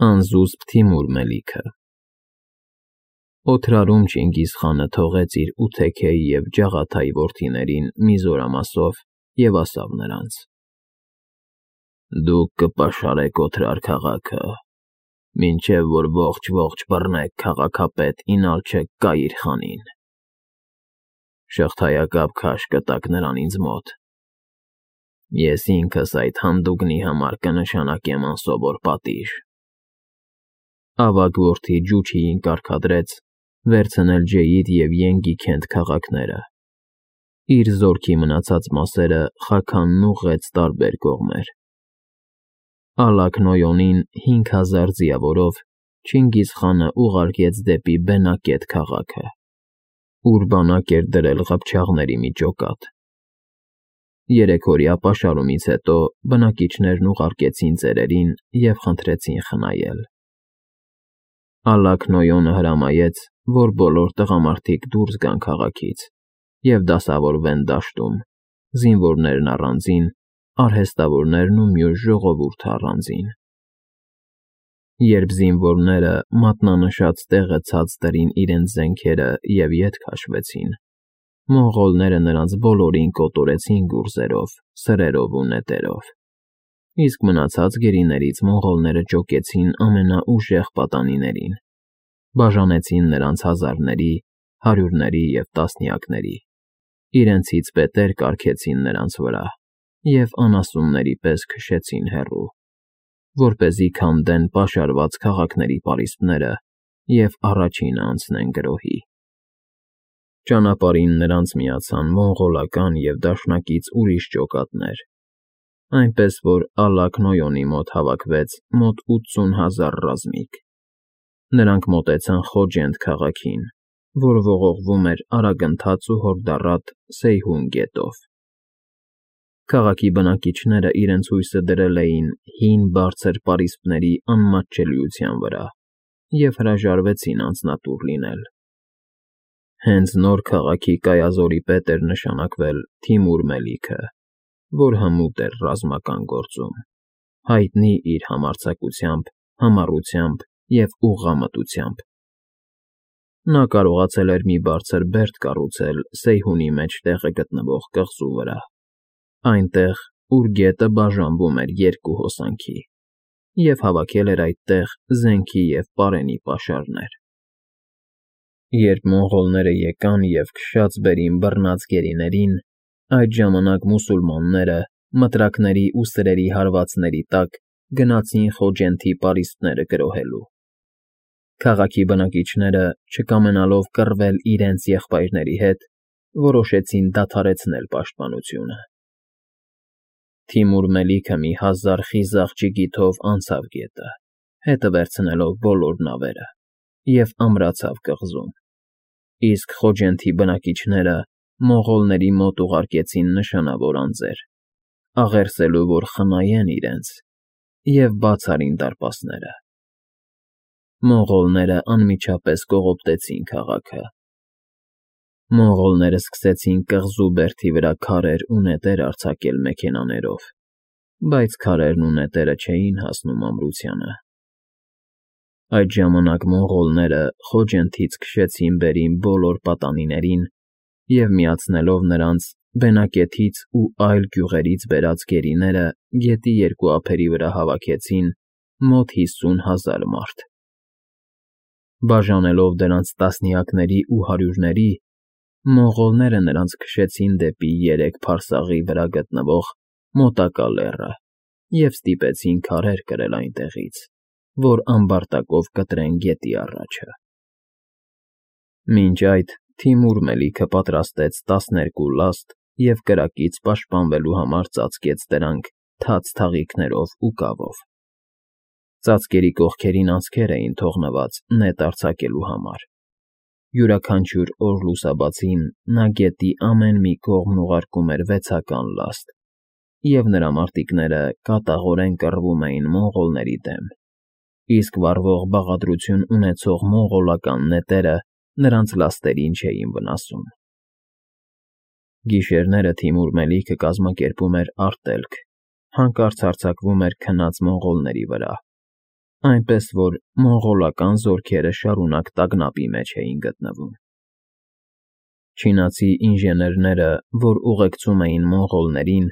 Անզուսպ Թիմուր Մելիքը Օթրարում Չինգիզ խանը թողեց իր 8 թեքեի և ջաղաթայի որդիներին մի զորամասով և ասավ նրանց. Դուք կպաշարեք Օթրար քաղաքը, մինչև որ ողջ բռնեք քաղաքապետ Ինալչը Կայիր խանին. շղթայակապ քաշ կտաք նրան ինձ մոտ, ես ինքս այդ հանդուգնի համար կնշանակեմ անսովոր պատիժ։ Ավագ որդի Ջուչիին կարգադրեց վերցնել Ջեիդ և Ենգի Քենթ քաղաքները, իր զորքի մնացած մասերը Խաքանն ուղղեց տարբեր կողմեր։ Ալակ Նոյոնին 5000 ձիավորով Չինգիզ խանը ուղարկեց դեպի Բենակետ քաղաքը, ուր բանակ էր դրել ղփչաղների մի ջոկատ։ 3 օրյա պաշարումից հետո բնակիչներն ուղարկեցին ծերերին և խնդրեցին խնայել։ Ալակ Նոյոնը հրամայեց, որ բոլոր տղամարդիկ դուրս գան քաղաքից և դասավորվեն դաշտում, զինվորներն առանձին, արհեստավորներն ու մյուս ժողովուրդը առանձին։ Երբ զինվորները մատնանշած տեղը ցած դրին իրենց զենքերը և ետ քաշվեցին, մոնղոլները նրանց բոլորին կոտորեցին գուրզերով, սրերով ու նետերով, իսկ մնացած գերիներից մոնղոլները ջոկեցին ամենաուժեղ պատանիներին, բաժանեցին նրանց հազարների, հարյուրների և տասնյակների, իրենցից պետեր կարգեցին նրանց վրա և անասունների պես քշեցին հեռու, որպեսզի քանդեն պաշարված քաղաքների պարիսպները և առաջինը անցնեն գրոհի։ Ճանապարհին նրանց միացան մոնղոլական և դաշնակից ուրիշ ջոկատներ, այնպես որ Ալակ Նոյոնի մոտ հավաքվեց մոտ 80,000 ռազմիկ։ Նրանք մոտեցան Խոջենդ քաղաքին, որ ողողվում էր արագընթաց ու հորդառատ Սեյհուն գետով։ Քաղաքի բնակիչները իրենց հույսը դրել էին հին բարձր պարիսպների անմատչելիության վրա և հրաժարվեցին անձնատուր լինել։ Հենց նոր քաղաքի կայազորի պետ էր նշանակվել Թիմուր Մելիքը, որ հմուտ էր ռազմական գործում, հայտնի իր համարձակությամբ, համառությամբ և ուղղամտությամբ։ Նա կարողացել էր մի բարձր բերդ կառուցել Սեյհունի մեջ տեղը գտնվող կղզու վրա, այնտեղ, ուր գետը բաժանվում էր երկու հոսանքի, և հավաքել էր այդտեղ զենքի և պարենի պաշարներ։ Երբ մոնղոլները եկան և քշած բերին բռնած գերիներին, այդ ժամանակ մուսուլմանները մտրակների ու սրերի հարվածների տակ գնացին Խոջենթի պարիսպները գրոհելու։ Քաղաքի բնակիչները, չկամենալով կռվել իրենց եղբայրների հետ, որոշեցին դադարեցնել պաշտպանությունը։ Թիմուր Մելիքը մի 1000 խիզախ ջիգիթով անցավ գետը, հետը վերցնելով բոլոր նավերը, և ամրացավ կղզում, իսկ Խոջենթի բնակիչները մոնղոլների մոտ ուղարկեցին նշանավոր անձեր, աղերսելու, որ խնայեն իրենց, և բաց արին դարպասները։ Մոնղոլները անմիջապես կողոպտեցին քաղաքը։ Մոնղոլները սկսեցին կղզու բերդի վրա քարեր ու նետեր արձակել մեքենաներով, բայց քարերն ու նետերը չէին հասնում ամրությանը։ Այդ ժամանակ մոնղոլները Խոջենթից քշեցին վերին բոլոր պատանիներին և, միացնելով նրանց Բենակետից ու այլ գյուղերից բերած գերիները, գետի երկու ափերի վրա հավաքեցին մոտ 50,000 մարդ։ Բաժանելով դրանց տասնյակների ու հարյուրների, մոնղոլները նրանց քշեցին դեպի 3 փարսաղի վրա գտնվող մոտակա լեռը և ստիպեցին քարեր կրել այնտեղից, որ ամբարտակով կտրեն գետի առաջը։ Մինչ այդ Թիմուր Մելիքը պատրաստեց 12 լաստ և կրակից պաշտպանվելու համար ծածկեց դրանք թաց թաղիքներով ու կավով։ Ծածկերի կողքերին անցքեր էին թողնված նետ արձակելու համար։ Յուրաքանչյուր օր լուսաբացին նա գետի ամեն մի կողմն ուղարկում էր 6-ական լաստ, և նրա մարտիկները կատաղորեն կռվում էին մոնղոլների դեմ, իսկ վառվող բաղադրություն ունեցող մոնղոլական նետերը նրանց լաստերին չէին վնասում։ Գիշերները Թիմուր Մելիքը կազմակերպում էր արտելք, հանկարծ հարձակվում էր քնած մոնղոլների վրա, այնպես որ մոնղոլական զորքերը շարունակ տագնապի մեջ էին գտնվում։ Չինացի ինժեներները, որ ուղեկցում էին մոնղոլներին,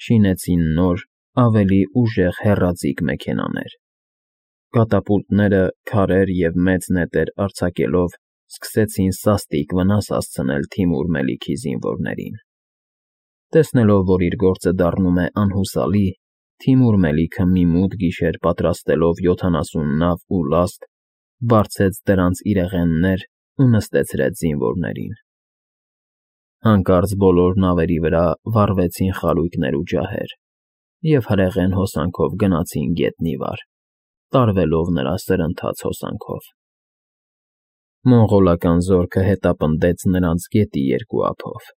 շինեցին նոր, ավելի ուժեղ հեռաձիգ մեքենաներ։ Կատապուլտները, քարեր և մեծ նետեր արձակելով սկսեցին սաստիկ վնաս հասցնել Թիմուր Մելիքի զինվորներին։ Տեսնելով, որ իր գործը դառնում է անհուսալի, Թիմուր Մելիքը մի մութ գիշեր պատրաստելով 70 նավ ու լաստ, բարձեց դրանց իրեղեններ ու նստեցրեց զինվորներին։ Հանկարծ բոլոր նավերի վրա վառվեցին խարույկներ ու ջահեր, և հրեղեն հոսանքով գնացին գետնի վար, տարվելով նրա սրընթաց հոսանքով։ Մոնղոլական զորքը հետապնդեց նրանց գետի երկու ափով։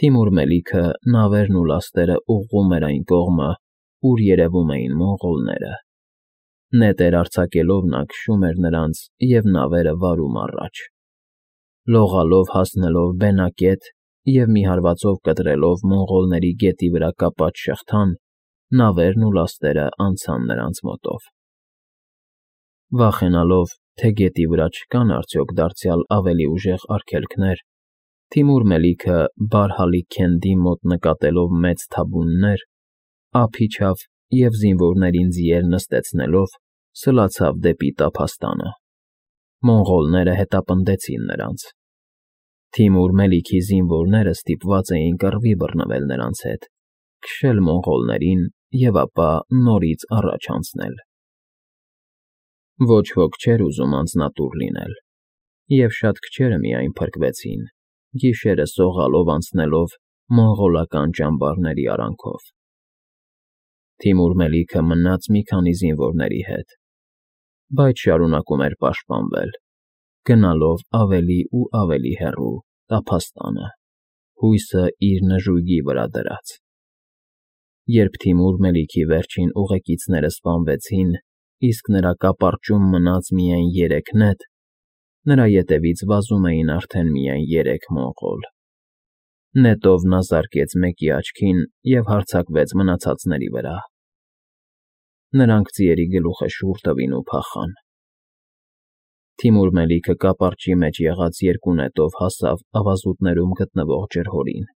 Թիմուր Մելիքը նավերն ու լաստերը ուղղում էր այն կողմը, ուր երևում էին մոնղոլները։ Նետեր արձակելով նա քշում էր նրանց և նավերը վարում առաջ։ Լողալով հասնելով Բենակետ և մի հարվածով կտրելով մոնղոլների գետի վրա կապած շղթան, նավերն ու լաստերը անցան նրանց մոտով։ Վախենալով, թե գետի վրա չկան արդյոք դարձյալ ավելի ուժեղ արգելքներ, Թիմուր Մելիքը Բարհալի Քենդի մոտ նկատելով մեծ թաբուններ, ափ իջավ և զինվորներին ձիեր նստեցնելով սլացավ դեպի տափաստանը։ Մոնղոլները հետապնդեցին նրանց։ Թիմուր Մելիքի զինվորները ստիպված էին կռվի բռնվել նրանց հետ, քշել մոնղոլներին և ապա նորից առաջ անցնել։ Ոչ ոք չէր ուզում անձնատուր լինել, և շատ քչերը միայն փրկվեցին, գիշերը սողալով անցնելով մոնղոլական ճամբարների արանքով։ Թիմուր Մելիքը մնաց մի քանի զինվորների հետ, բայց շարունակում էր պաշտպանվել, գնալով ավելի ու ավելի հեռու տափաստանը, հույսը իր նժույգի վրա դրած։ Երբ Թիմուր Մելիքի վերջին ուղեկիցները սպանվեցին, իսկ նրա կապարճում մնաց միայն 3 նետ, նրա ետևից վազում էին արդեն միայն 3 մոնղոլ։ Նետով նա զարկեց մեկի աչքին և հարձակվեց մնացածների վրա։ Նրանք ձիերի գլուխը շուռ տվին ու փախան։ Թիմուր Մելիքը կապարճի մեջ եղած 2 նետով հասավ ավազուտներում գտնվող ջրհորին,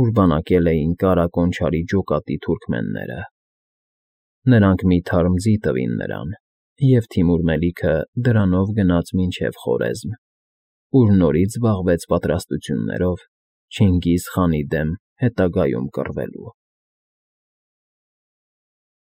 ուր բանակել էին Կարա Կոնչարի ջոկատի թուրքմենները։ Նրանք մի թարմ ձի տվին նրան, և Թիմուր Մելիքը դրանով գնաց մինչև Խորեզմ, ուր նորից զբաղվեց պատրաստություններով Չինգիզ խանի դեմ հետագայում կռվելու։